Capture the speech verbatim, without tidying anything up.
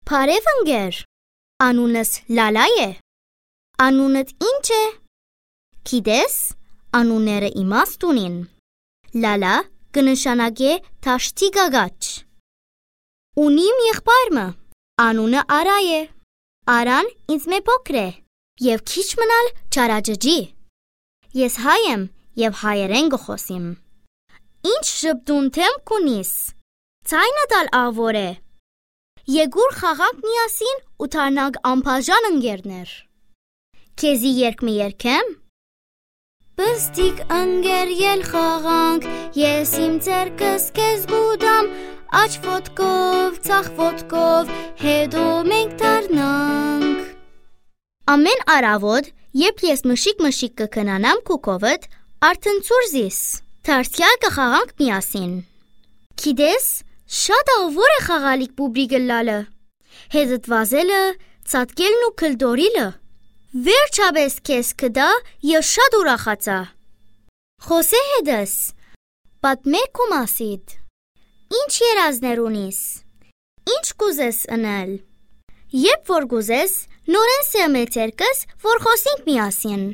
Բարեւ ընկեր, անունս Լալա է։ Անունդ ի՞նչ է։ Գիտես, անունները իմաստ ունին։ Լալա կը նշանակէ դաշտի գագաճ։ Ունիմ եղբայր մը, անունը Արա է։ Արան ինձմէ փոքր է եւ քիչ մնալ չարաճճի։ Ես հայ եմ եւ հայերէն կը խօսիմ։ Ի՞նչ ժպտուն դէմ կունիս։ Ձայնդ ալ աղուոր է։ Եկուր խաղանք միասին ու դառնանք անբաժան ընկերներ։ Քեզի երգ մը երգեմ։ Պստիկ ընկեր, ել խաղանք, ես իմ ձեռքս քեզ կուտամ, աջ ոտքով, ձախ ոտքով, հետո մենք դառնանք։ Ամէն առաւօտ, երբ ես մշիկ-մշիկ կը քնանամ քու քովդ, արդեն ցուր զիս։ Դարձեալ կը խաղանք միասին։ Գիտես, շատ աղուոր է խաղալիք պուբրիկ ըլլալը։ Հետդ վազելը, ցատկելն ու գլդորիլը։ Վերջապէս քեզ կտայ, ես շատ ուրախացայ։ Խօսէ հետս, պատմէ քու մասիդ։ Ի՞նչ երազներ ունիս։ Ի՞նչ կ'ուզես ընել։ Երբ որ կ'ուզես, նորէն սեղմէ ձեռքս, որ խօսինք միասին։